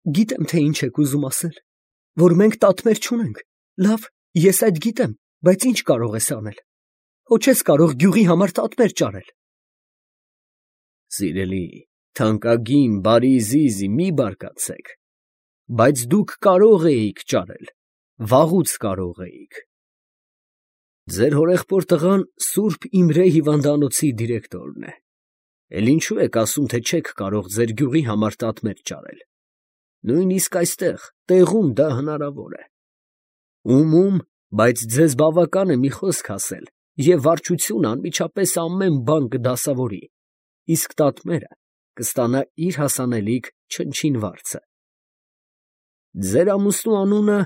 Գիտեմ, թե ինչ եք ուզում ասել, որ մենք տատմեր չունենք, լավ, ես այդ գիտեմ, բայց ինչ կարող ես անել, հո չես կարող գյուղի համար տատմեր ճարել։ Սիրելի, թանկագին, բարի զիզի, մի բարկացեք, բայց դուք կարող էիք ճարել, վաղուց կարող էիք։ Ձեր հորեղբոր տղան Սուրբ Իմրե հիվանդանոցի դիրեկտորն է, էլ ինչու եք ասում, թե չեք կարող ձեր գյուղի համար տատմեր ճարել։ Նույնիսկ այստեղ, տեղում դա հնարավոր է։ Ում, բայց ձեզ բավական է մի խոսք ասել, և վարչությունը անմիջապես ամեն բան կդասավորի, իսկ տատմերը կստանա իր հասանելիք չնչին վարձը։ Ձեր ամուսնու անունը,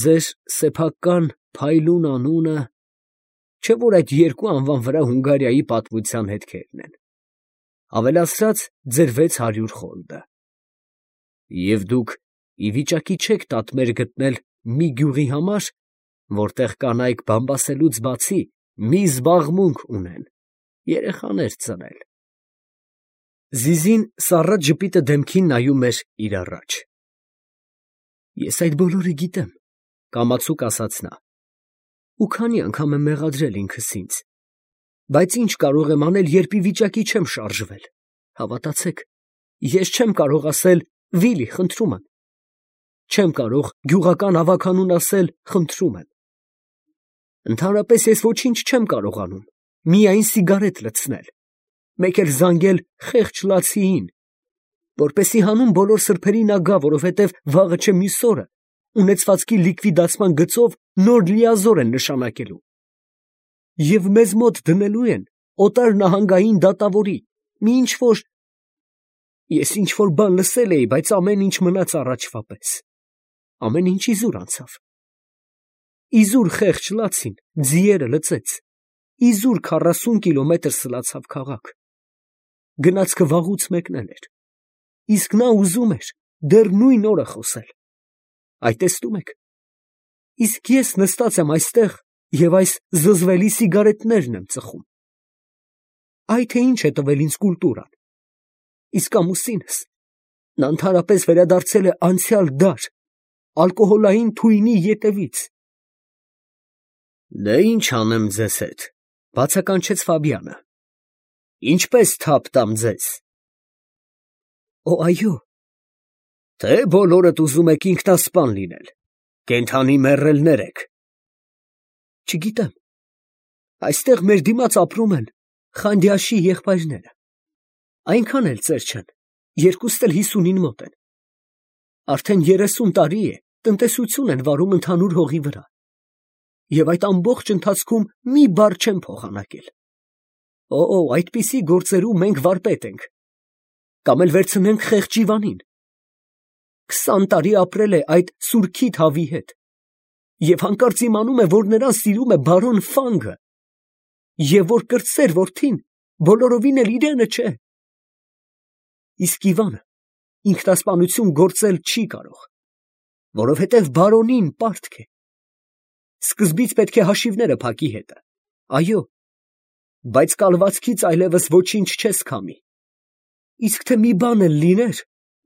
ձեր սեփական փայլուն անունը, չէ՞ որ այդ երկու անվան վրա Հունգարիայի պատմության հետքերն են, ավելացրած ձեր 600 խոլդը։ Եվ դուք ի վիճակի չեք տատմեր գտնել մի գյուղի համար, որտեղ կանայք բամբասելուց բացի մի զբաղմունք ունեն, երեխաներ ծնել։ Զիզին սառած ժպիտը դեմքին նայում էր իր առաջ։ Ես այդ բոլորը գիտեմ, կամացուկ ասաց նա, ու քանի անգամ եմ մեղադրել ինքս ինձ, բայց ինչ կարող եմ անել, երբ ի վիճակի չեմ շարժվել, հավատացեք, ես չեմ կարող ասել Վիլի, խնդրում եմ, չեմ կարող գյուղական ավագանուն ասել խնդրում եմ, ընդհանրապես ես ոչինչ չեմ կարողանում, միայն սիգարետ լցնել, մեկ էլ զանգել խեղճ լացիին, որպեսզի հանուն բոլոր սրբերի նա գա, որովհետև վաղը չէ մյուս օրը ունեցվածքի լիկվիդացման գծով նոր լիազոր են նշանակելու, և մեզ մոտ դնելու են օտար նահանգային դատավորի, մի ինչ-որ… Ես ինչ-որ բան լսել էի, բայց ամեն ինչ մնաց առաջվա պես, ամեն ինչ իզուր անցավ, իզուր խեղճ լացին ձիերը լծեց, իզուր 40 կիլոմետր սլացավ քաղաք, գնացքը վաղուց մեկնել էր, իսկ նա ուզում էր դեռ նույն օրը խոսել, այ տեսնում եք, իսկ ես նստած եմ այստեղ և այս զզվելի սիգարետներն եմ ծխում, այ թե ինչ է տվել ինձ կուլտուրան, իսկ ամուսինս, նա ընդհանրապես վերադարձել է անցյալ դար, ալկոհոլային թույնի ետևից։ Դե ինչ անեմ ձեզ հետ, բացականչեց Ֆաբիանը, ինչպես թափ տամ ձեզ։ Օ, այո, թե բոլորդ ուզում եք ինքնասպան լինել, կենդանի մեռելներ եք։ Չգիտեմ, այստեղ մեր դիմաց ապրում են Խանդյաշի եղբայրները, այնքան էլ ծեր չեն, երկուստ էլ 50-ին մոտ են, արդեն 30 տարի է տնտեսություն են վարում ընդհանուր հողի վրա, և այդ ամբողջ ընթացքում մի բառ չեն փոխանակել։ Օ, այդպիսի գործերում մենք վարպետ ենք, կամ էլ վերցնենք խեղճ Իվանին, 20 տարի ապրել է այդ սուրքիթ հավի հետ, և հանկարծ իմանում է, որ նրան սիրում է բարոն Ֆանգը, և որ կրտսեր որդին բոլորովին էլ իրենը չէ։ Իսկ Իվանը ինքնասպանություն գործել չի կարող, որովհետև բարոնին պարտք է։ Սկզբից պետք է հաշիվները փակի հետը, այո, բայց կալվածքից այլևս ոչինչ չես քամի, իսկ թե մի բան էլ լիներ,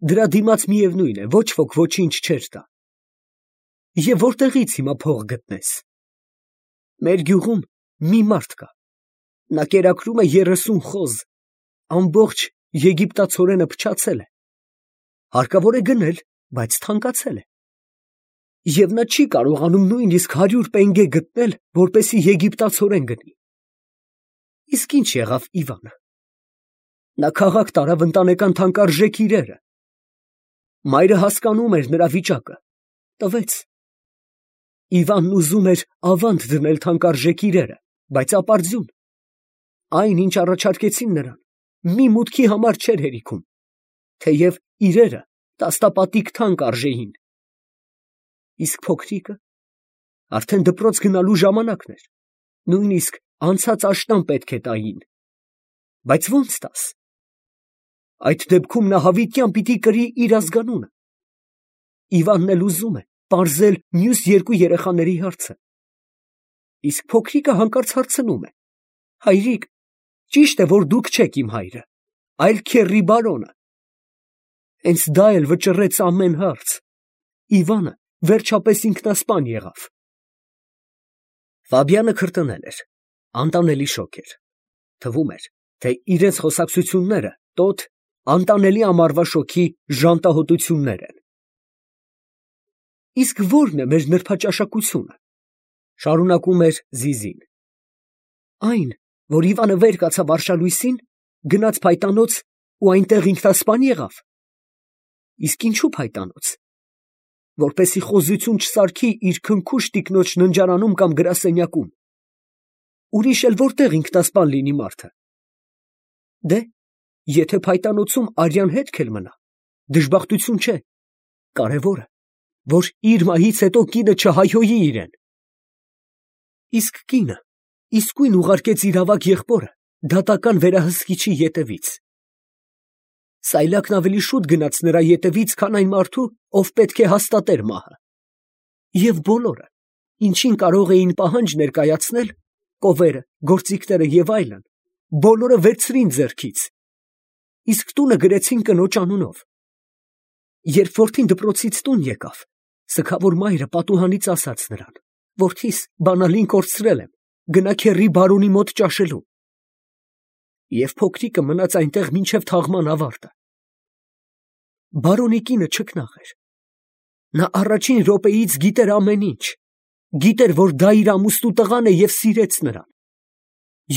դրա դիմաց միևնույն է, ոչ ոք ոչինչ չէր տա։ Եվ որտեղից հիմա փող գտնես։ Մեր գյուղում մի մարդ կա, նա կերակրում է 30 խոզ, ամբողջ եգիպտացորենը փչացել է, հարկավոր է գնել, բայց թանկացել է, և նա չի կարողանում նույնիսկ 100 պենգե գտնել, որպեսզի եգիպտացորեն գնի։ Իսկ ինչ եղավ Իվանը։ Նա քաղաք տարավ ընտանեկան թանկարժեք իրերը, մայրը հասկանում էր նրա վիճակը, տվեց։ Իվանն ուզում էր ավանդ դնել թանկարժեք իրերը, բայց ապարդյուն, այն ինչ առաջարկեցին նրան, մի մուտքի համար չէր հերիքում, թեև իրերը տասնապատիկ թանկ արժեին։ Իսկ փոքրիկը արդեն դպրոց գնալու ժամանակն էր, նույնիսկ անցած աշնան պետք է տային, բայց ո՞նց տաս։ Այդ դեպքում նա հավիտյան պիտի կրի իր ազգանունը։ Իվանն էլ ուզում է պարզել մյուս երկու երեխաների հարցը։ Իսկ փոքրիկը հանկարծ հարցնում է. հայրիկ, ճիշտ է, որ դուք չեք իմ հայրը, այլ քեռի բարոնը։ Հենց դա էլ վճռեց ամեն հարց։ Իվանը վերջապես ինքնասպան եղավ։ Ֆաբիանը քրտնել էր, անտանելի շոկ էր։ Թվում էր, թե իրենց խոսակցությունները տոտ անտանելի ամառվա շոգի ժանտահոտություններ են։ Իսկ ո՞րն է մեր նրբաճաշակությունը, շարունակում էր Զիզին։ Այն, որ Իվանը վեր կացավ արշալույսին, գնաց փայտանոց ու այնտեղ ինքնասպան եղավ։ Իսկ ինչու փայտանոց, որպեսի խոզություն չսարքի իր քնքուշ տիկնոջ ննջարանում կամ գրասենյակում։ Ուրիշ էլ որտեղ ինքնասպան լինի մարդը։ Դե, եթե փայտանոցում արյան հետք էլ մնա, դժբախտություն չէ, կարևորը, որ իր մահից հետո կինը չհայհոյի իրեն։ Իսկ կինը իսկույն ուղարկեց իր ավագ եղբորը դատական վերահսկիչի ետևից։ Սայլակն ավելի շուտ գնաց նրա ետևից, քան այն մարդու, ով պետք է հաստատեր մահը։ Եվ բոլորը, ինչին կարող էին պահանջ ներկայացնել, կովերը, գործիքները և այլն, բոլորը վերցրին ձեռքից, իսկ տունը գրեցին կնոջ անունով։ Երբ որդին դպրոցից տուն եկավ, սգավոր մայրը պատուհանից ասաց նրան. «Որդիս, բանալին կորցրել եմ, գնա քեռի բարոնի մոտ ճաշելու»։ Եվ փոքրիկը մնաց այնտեղ մինչև թաղման ավարտը։ Բարոնի կինը չքնաղ էր։ Նա առաջին րոպեից գիտեր ամեն ինչ, գիտեր, որ դա իր ամուսնու տղան է և սիրեց նրան։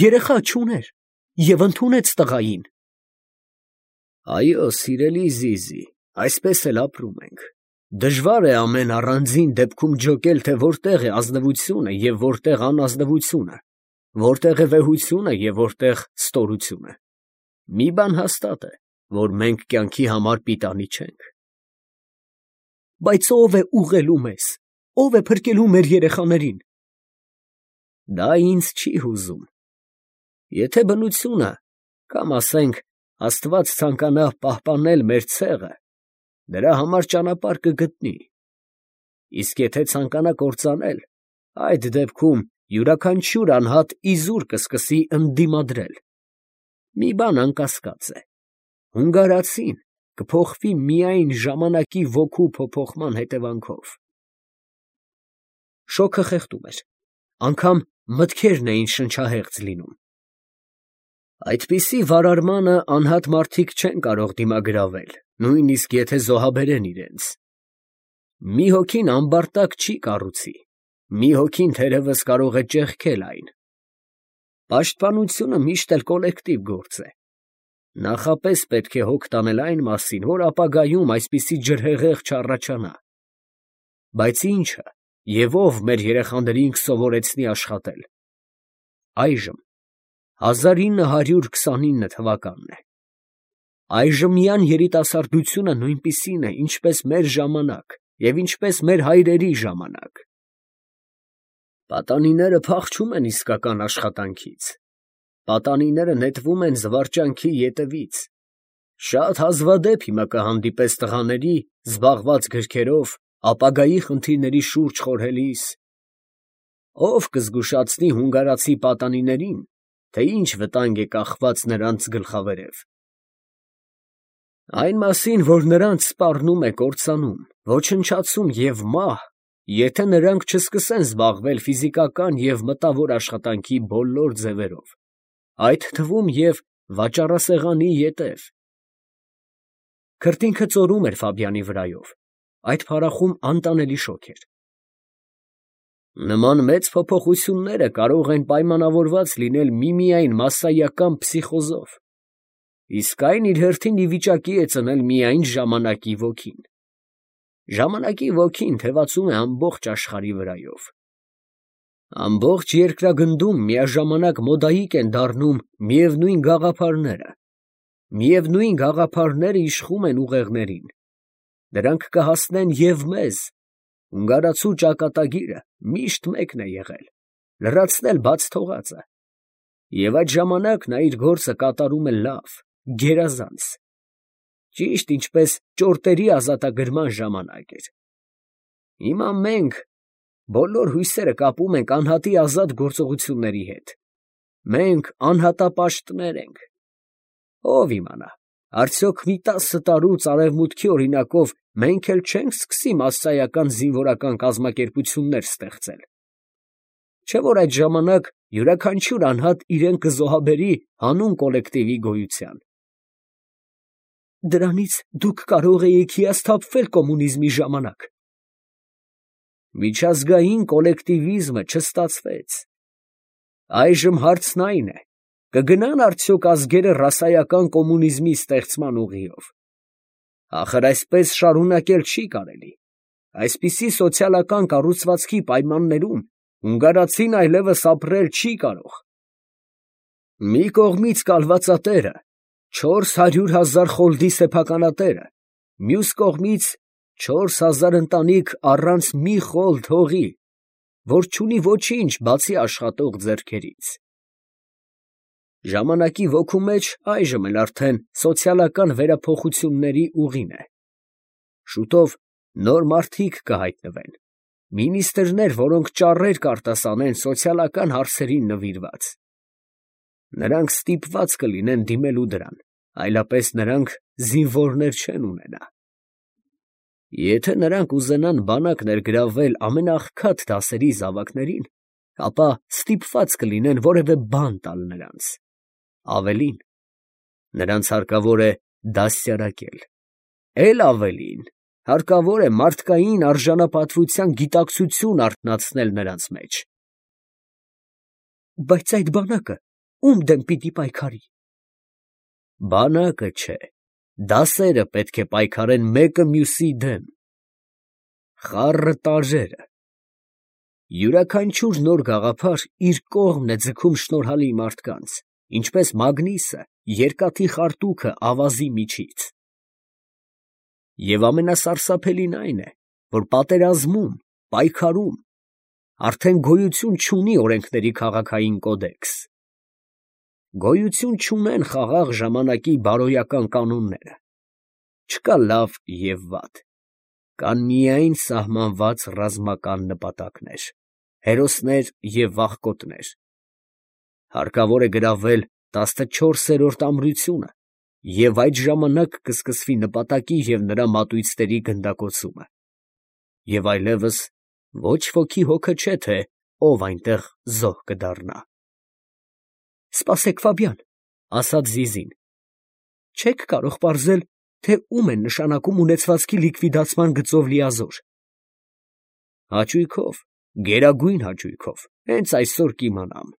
Երեխա չուներ և ընդունեց տղային։ Այո, սիրելի Զիզի, այսպես էլ ապրում ենք։ Դժվար է ամեն առանձին դեպքում ջոկել, թե որտեղ է ազնվությունը և որտեղ անազնվությունը, որտեղ է վեհությունը և որտեղ ստորությունը։ Մի բան հաստատ է, որ մենք կյանքի համար պիտանի չենք։ Բայց ո՞վ է ուղղելու մեզ, ո՞վ է փրկելու մեր երեխաներին։ Դա ինձ չի հուզում։ Եթե բնությունը, կամ ասենք Աստված ցանկանա պահպանել մեր ցեղը, դրա համար ճանապարհ կգտնի։ Իսկ եթե ցանկանա կործանել, այդ դեպքում յուրաքանչյուր անհատ իզուր կսկսի ընդդիմադրել։ Մի բան անկասկած է. հունգարացին կփոխվի միայն ժամանակի ոգու փոփոխման հետևանքով։ Շոգը խեղդում էր, անգամ մտքերն էին շնչահեղձ լինում։ Այդպիսի վարարմանը անհատ մարդիկ չեն կարող դիմագրավել, նույնիսկ եթե զոհաբերեն իրենց։ Մի հոգին ամբարտակ չի կառուցի, մի հոգին թերևս կարող է ճեղքել այն։ Պաշտպանությունը միշտ էլ կոլեկտիվ գործ է։ Նախապես պետք է հոգ տանել այն մասին, որ ապագայում այսպիսի ջրհեղեղ չառաջանա։ Բայց ի՞նչը և ով մեր երեխաներին կսովորեցնի աշխատել։ Այժմ 1929 թվականն է։ Այժմյան երիտասարդությունը նույնպիսին է, ինչպես մեր ժամանակ և ինչպես մեր հայրերի ժամանակ։ Պատանիները փախչում են իսկական աշխատանքից։ Պատանիները նետվում են զվարճանքի ետևից։ Շատ հազվադեպ հիմա կհանդիպես տղաների, զբաղված գրքերով, ապագայի խնդիրների շուրջ խորհելիս։ Ո՞վ կզգուշացնի հունգարացի պատանիներին, թե ինչ վտանգ է կախված նրանց գլխավերև։ Այն մասին, որ նրանց սպառնում է կործանում, ոչնչացում և մահ, եթե նրանք չսկսեն զբաղվել ֆիզիկական և մտավոր աշխատանքի բոլոր ձևերով, այդ թվում և վաճառասեղանի ետև։ Քրտինքը ծորում էր Ֆաբյանի վրայով, այդ փառախում անտանելի շոգ էր։ Նման մեծ փոփոխությունները կարող են պայմանավորված լինել միմիայն մասսայական պսիխոզով, իսկ այն իր հերթին ի վիճակի է ծնել միայն ժամանակի ոգին։ Ժամանակի ոգին թևածում է ամբողջ աշխարհի վրայով։ Ամբողջ երկրագնդում միաժամանակ մոդայիկ են դառնում միևնույն գաղափարները։ Միևնույն գաղափարները իշխում են ուղեղներին։ Դրանք կհասնեն և մեզ։ Հունգարացու ճակատագիրը միշտ մեկն է եղել՝ լրացնել բաց թողածը։ Եվ այդ ժամանակ նա իր գործը կատարում է լավ, գերազանց։ Ճիշտ ինչպես ճորտերի ազատագրման ժամանակ էր։ Հիմա մենք բոլոր հույսերը կապում ենք անհատի ազատ գործողությունների հետ։ Մենք անհատապաշտներ ենք։ Ո՞վ իմանա, Արդյոք մի 10 տարուց արևմուտքի օրինակով մենք էլ չենք սկսի մասսայական զինվորական կազմակերպություններ ստեղծել։ Չէ՞ որ այդ ժամանակ յուրաքանչյուր անհատ իրեն կզոհաբերի հանուն կոլեկտիվի գոյության։ Դրանից դուք կարող էիք հիասթափվել կոմունիզմի ժամանակ։ Միջազգային կոլեկտիվիզմը չստացվեց։ Այժմ հարցն այն է, կգնան արդյոք ազգերը ռասայական կոմունիզմի ստեղծման ուղիով։ Ախր այսպես շարունակել չի կարելի։ Այսպիսի սոցիալական կառուցվածքի պայմաններում հունգարացին այլևս ապրել չի կարող։ Մի կողմից կալվածատերը, 400,000 խոլդի սեփականատերը, մյուս կողմից 4,000 ընտանիք առանց մի խոլդ հողի, որ չունի ոչինչ բացի աշխատող ձեռքերից։ Ժամանակի ոգու մեջ այժմ էլ արդեն սոցիալական վերափոխությունների ուղին է։ Շուտով նոր մարդիկ կհայտնվեն, մինիստրներ, որոնք ճառեր կարտասանեն սոցիալական հարցերին նվիրված։ Նրանք ստիպված կլինեն դիմելու դրան, այլապես նրանք զինվորներ չեն ունենա։ Եթե նրանք ուզենան բանակ ներգրավվել ամենաղքատ դասերի զավակներին, ապա ստիպված կլինեն որևէ բան տալ նրանց։ Ավելին, նրանց հարկավոր է դաստիարակել, էլ ավելին, հարկավոր է մարդկային արժանապատվության գիտակցություն արթնացնել նրանց մեջ։ Բայց այդ բանակը ում դեմ պիտի պայքարի։ Բանակը չէ, դասերը պետք է պայքարեն մեկը մյուսի դեմ։ Խառը տարրերը։ Յուրաքանչյուր նոր գաղափար իր կողմն է ձգում շնորհալի մարդկանց, ինչպես մագնիսը երկաթի խարտուքը ավազի միջից։ Եվ ամենասարսափելին այն է, որ պատերազմում, պայքարում արդեն գոյություն չունի օրենքների քաղաքային կոդեքս։ Գոյություն չունեն խաղաղ ժամանակի բարոյական կանոնները։ Չկա լավ և վատ, կան միայն սահմանված ռազմական նպատակներ, հերոսներ և վախկոտներ։ Հարկավոր է գրավել 14-րդ ամրությունը, և այդ ժամանակ կսկսվի նպատակի և նրա մատույցների գնդակոծումը, և այլևս ոչ ոքի հոգը չէ, թե ով այնտեղ զոհ կդառնա։ Սպասեք, Ֆաբյան, ֊ ասաց Զիզին, ֊ չեք կարող պարզել, թե ում են նշանակում ունեցվածքի լիկվիդացման գծով լիազոր։ Հաճույքով, գերագույն հաճույքով, հենց այսօր կիմանամ։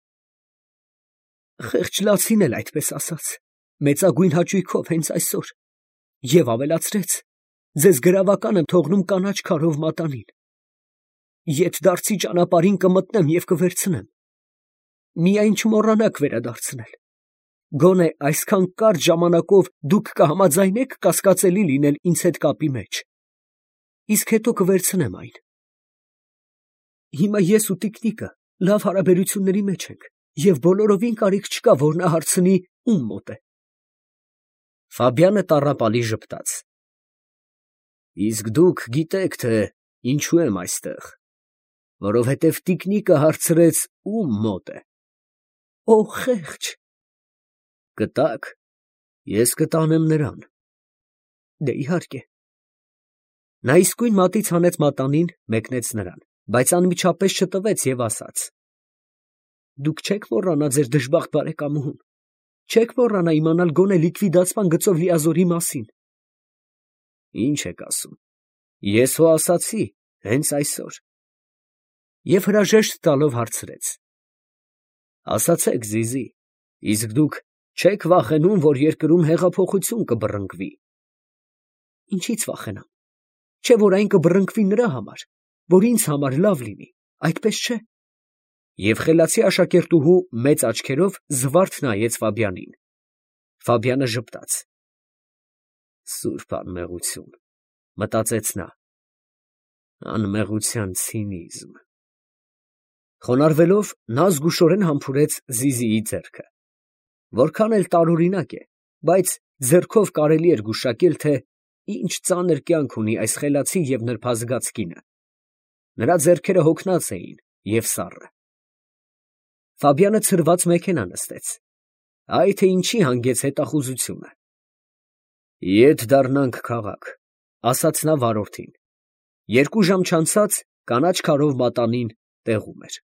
Խեղճ լացին էլ այդպես ասաց, մեծագույն հաճույքով հենց այսօր, և ավելացրեց, ձեզ գրավական եմ թողնում կանաչ քարով մատանին։ Ետդարձի ճանապարհին կմտնեմ և կվերցնեմ։ Միայն չմոռանաք վերադարձնել։ Գոնե այսքան կարճ ժամանակով դուք կհամաձայնեք կասկածելի լինել ինձ հետ կապի մեջ, իսկ հետո կվերցնեմ այն։ Հիմա ես ու տիկնիկը լավ հարաբերությունների մեջ ենք, և բոլորովին կարիք չկա, որ նա հարցնի ում մոտ է։ Ֆաբյանը տառապալի ժպտաց։ Իսկ դուք գիտեք, թե ինչու եմ այստեղ, որովհետև տիկնիկը հարցրեց ում մոտ է։ Օ, խեղճ։ Կտակ, ես կտանեմ նրան։ Դե իհարկե։ Նա իսկույն մատից հանեց մատանին, մեկնեց նրան, բայց անմիջապես չտվեց և ասաց. Դուք չեք մոռանա ձեր դժբախտ բարեկամուհուն, չեք մոռանա իմանալ գոնե լիկվիդացման գծով լիազորի մասին։ Ինչ եք ասում, ես հո ասացի հենց այսօր։ Եվ հրաժեշտ տալով հարցրեց. Ասացեք, Զիզի, իսկ դուք չեք վախենում, որ երկրում հեղափոխություն կբռնկվի։ Ինչից վախենամ, չէ՞ որ այն կբռնկվի նրա համար, որ ինձ համար լավ լինի, այդպես չէ։ Եվ խելացի աշակերտուհու մեծ աչքերով զվարթ նայեց Ֆաբյանին։ Ֆաբյանը ժպտաց։ Սուրբ անմեղություն, մտածեց նա, անմեղության ցինիզմ։ Խոնարհվելով նա զգուշորեն համբուրեց Զիզիի ձեռքը։ Որքան էլ տարօրինակ է, բայց ձեռքով կարելի էր գուշակել, թե ինչ ծանր կյանք ունի այս խելացի և նրբազգաց կինը։ Նրա ձեռքերը հոգնած էին և սառը։ Ֆաբյանը ցրված մեքենա նստեց։ Այ թե ինչի հանգեց հետախուզությունը։ Ետ դառնանք քաղաք, ֊ ասաց նա վարորդին. երկու ժամ չանցած կանաչ քարով մատանին տեղում էր։